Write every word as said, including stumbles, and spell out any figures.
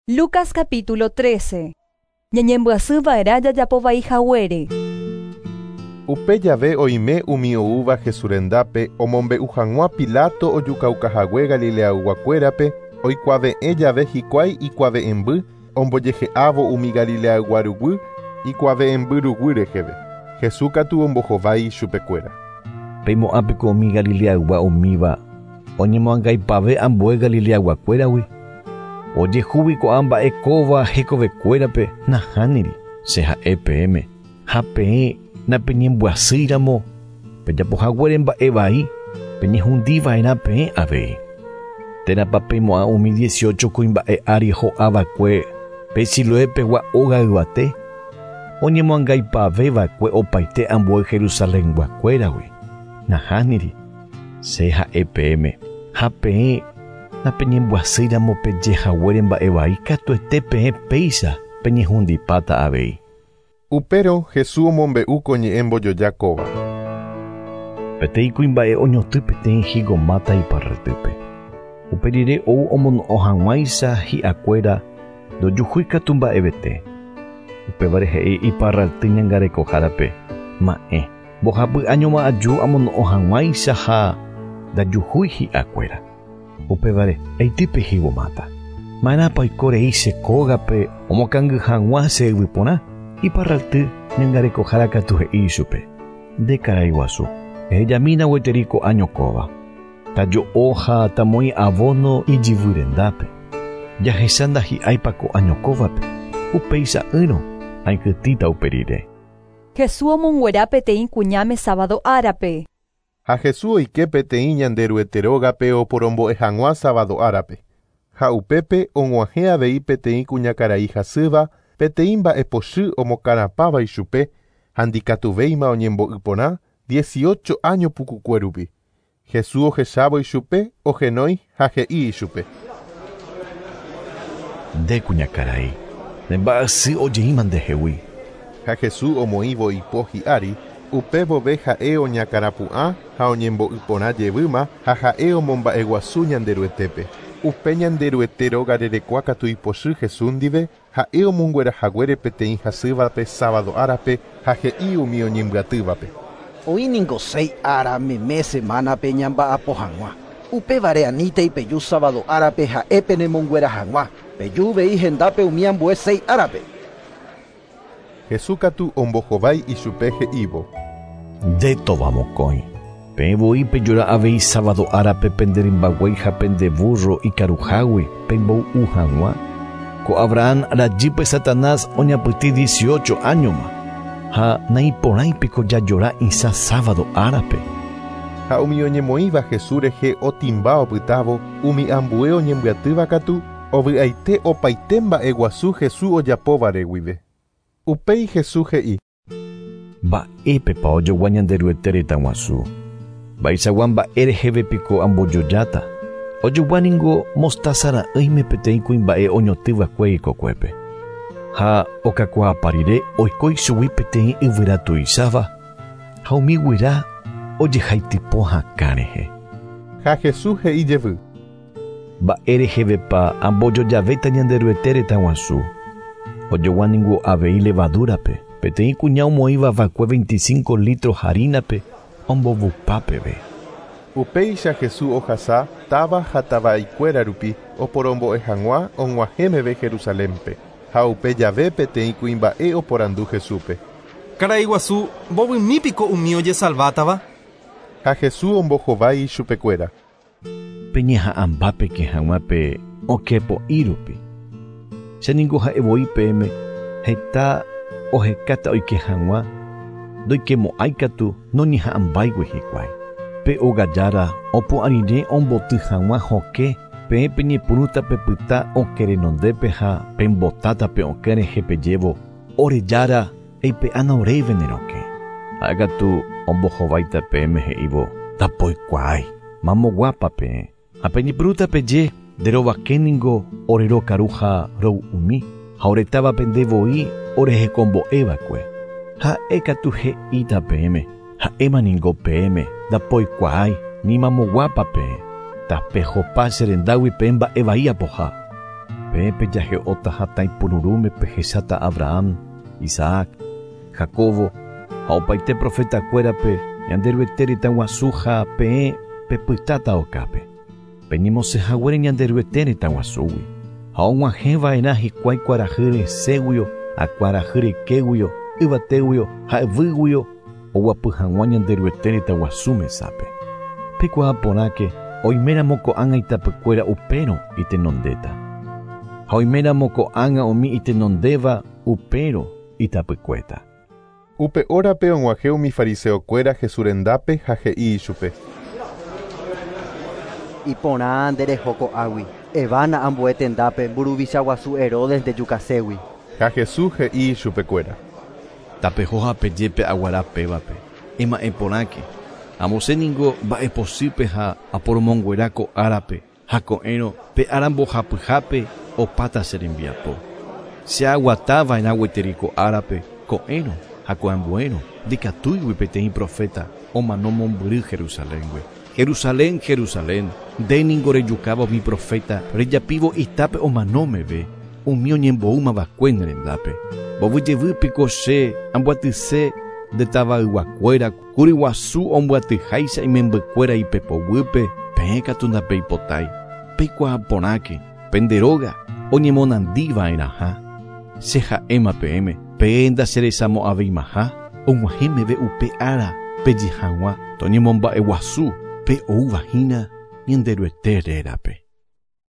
Lucas capítulo trece. Ñañembyasy va'erã jajapovai haguére. Upe jave oime umi oúva Jesús rendápe omombe'u hag̃ua Pilato ojukaukahague Galileayguakuérape oikuave'ẽ jave hikuái ikuave'ẽmby ombojehe'ávo umi Galileaygua ruguy ikuave'ẽmby ruguy reheve. Jesús katu ombohovái chupekuéra. Peimo'ãpeko umi Galileaygua umíva oñemoangaipave ambue Galileayguakuéragui. Ojehúvi ko'ã mba'e kóva hekovekuérape nahániri che ha'e peẽme ha peẽ napeñembyasýiramo pejapohaguére mba'e vai peñehundiva'erã peẽ avei. Térãpa peimo'ã umi dieciocho kuimba'e ári ho'ava'ekue pe Siloépegua óga yvate oñemoangaipaveva'ekue opaite ambue Jerusalenguakuéragui. Nahániri che ha'e peẽme ha peẽ napeñembyasýiramo pejehaguére mba'e vai katuete peẽ péicha peñehundipáta avei. Upérõ Jesús omombe'u ko ñe'ẽ mbojoja kóva. Peteĩ kuimba'e oñotỹ peteĩ higomáta iparretýpe. Upe rire ou omono'õ hag̃uáicha hi'akuéra ndojuhúi katu mba'evete. Upévare he'i iparralty ñangarekohárape ma'ẽ mbohapy añoma aju amono'õ hag̃uáicha ha ndajuhúi hi'akuéra. Upévare eitype higomáta. Ma'erãpa oikorei che kógape omokangy hag̃ua che yvy porã iparralty ñangarekohára katu he'i ichupe. Nde karai guasu ehejamína gueteri ko'ã ñokóva. Tajo'o ha tamoĩ abono ijyvy rendápe. Jahecha ndahi'áipa ko'ã ñokóvape. Upéicha'ỹrõ aikytĩta upe rire. Jesús omonguera peteĩ kuñáme sábado árape. Ha Jesús oike peteĩ Ñanderuete rógape oporombo'e hag̃ua sábado árape. Ha upépe og̃uahẽ avei peteĩ kuñakarai hasýva peteĩ mba'epochy omokarapãva ichupe ha ndikatuvéima oñembo'y porã dieciocho año pukukue rupi. Jesús ohechávo ichupe ohenói ha he'i ichupe. Nde kuñakarai, ne mba'asy ojeíma ndehegui. Ha Jesús omoĩvo ipo hi'ári upe vove ha'e oñakarapu'ã ha oñembo'y porã jevýma ha ha'e omomba'eguasu Ñanderuetépe. Upe Ñanderuete róga rerekua katu ipochy Jesús ndive ha'e omonguerahaguére peteĩ hasývape sábado árape ha he'i umi oñembyatývape. Oĩningo seis ára meme semánape ñamba'apo hag̃ua. Upévare anítei peju sábado árape ha'e penemonguera hag̃ua. Peju vei hendápe umi ambue seis árape. Jesús katu ombohovái ichupe he'ívo. Nde tovamokõi. Peẽ voi pejora avei sábado árape penderymbaguéi ha pende burro ikaruhágui pemboy'u hag̃ua. Ko Abraham rajýpe Satanás oñapytĩ dieciocho añoma. Ha naiporãipiko jajora isã sábado árape. Ha umi oñemoĩva Jesús rehe otimba opytávo umi ambue oñembyatýva katu ovy'aite opaite mba'eguasu Jesús ojapóvare guive. Upéi Jesús he'i. Mba'épepa ojogua Ñanderuete retã guasu. Mba'eichagua mba'e rehevepiko ambojojáta. Ojogua ningo mostaza ra'ỹime peteĩ kuimba'e oñotỹva'ekue ikokuépe. Ha okakuaapa rire oiko ichugui peteĩ yvyra tuicháva ha umi guyra ojehaitypo hakã rehe. Ha Jesús he'i jevy. Mba'e rehevepa ambojojavéta Ñanderuete retã guasu. Ojogua ningo avei levadúrape peteĩ kuña omoĩva va'ekue veinticinco litros harinape ombovupa peve. Upéicha Jesús ohasa táva ha tava'ikuéra rupi oporombo'e hag̃ua og̃uahẽ meve Jerusalénpe. Ha upe jave peteĩ kuimba'e oporandu Jesúspe. Karai guasu mbovymípiko umi ojesalvátava. Ha Jesús ombohovái ichupekuéra. Peñeha'ãmbápeke hag̃ua pe okẽpo'i rupi. Che ningo ha'e voi peẽme heta ohekáta oike hag̃ua ndoikemo'ãi katu noñeha'ãmbáigui hikuái. Pe ógajára opu'ã rire omboty hag̃ua hokẽ peẽ peñepyrũta pepyta okẽ renondépe ha pembotáta pe okẽ rehe pejévo ore jára eipe'ána oréve ne rokẽ. Ha'e katu ombohováita peẽme he'ívo ndapoikuaái mamoguápa peẽ. Ha peñepyrũta peje nderovake ningo ore rokaru ha roy'umi ha oretávape nde voi orehekombo'eva'ekue. Ha'e katu he'íta peẽme ha'éma ningo peẽme ndapoikuaái ni mamoguápa peẽ. Tapehopa che rendágui peẽ mba'e vai apoha. Peẽ pejahe'óta hatãipururũme pehecháta Abraham, Isaac, Jacobo ha opaite profetakuérape Ñanderuete retã guasu ha peẽ pepytáta okápe. Peñemosẽhaguére Ñanderuete retã guasúgui ha og̃uahẽva'erã hikuái kuarahy resẽguio ha kuarahy rekéguio yvatéguio ha yvýguio oguapy hag̃ua Ñanderuete retã guasu mesápe. Peikuaa porãke oiméramo ko'ág̃a itapykuéra upérõ itenondéta. Ha oiméramo ko'ág̃a umi itenondéva upérõ itapykuéta. Upe órape og̃uahẽ umi fariseokuéra Jesús rendápe ha he'i ichupe. Iporã ndereho ko'águi. Evána ambue tendápe mburuvicha guasu Herodes ndejukaségui. Ha Jesús he'i ichupekuéra. Tapeho ha pejepe aguara pévape. Ema'ẽ porãke. Amosẽ ningo mba'epochýpe ha aporomonguera ko árape ha ko'ẽrõ pe ára mbohapyhápe opáta che rembiapo. Che aguatava'erã gueteri ko árape ko'ẽrõ ha ko'ambuérõ ndikatúigui peteĩ profeta omano mombyry Jerusaléngui. Jerusalén, Jerusalén, nde ningo rejukáva umi profeta rejapívo itápe omano meve umi oñemboúmava'ekue ne rendápe. Mbovyjevýpiko che amboatyse nde tavayguakuéra kuryguasu omboatyháicha imembykuéra ipepoguýpe peẽ katu ndapeipotái. Peikuaa porãke pende róga oñemonandiva'erãha. Che ha'éma peẽme peẽ ndacherechamo'ãveimaha og̃uahẽ meve upe ára peje hag̃ua toñemomba'eguasu pe oúvahína Ñanderuete rérape.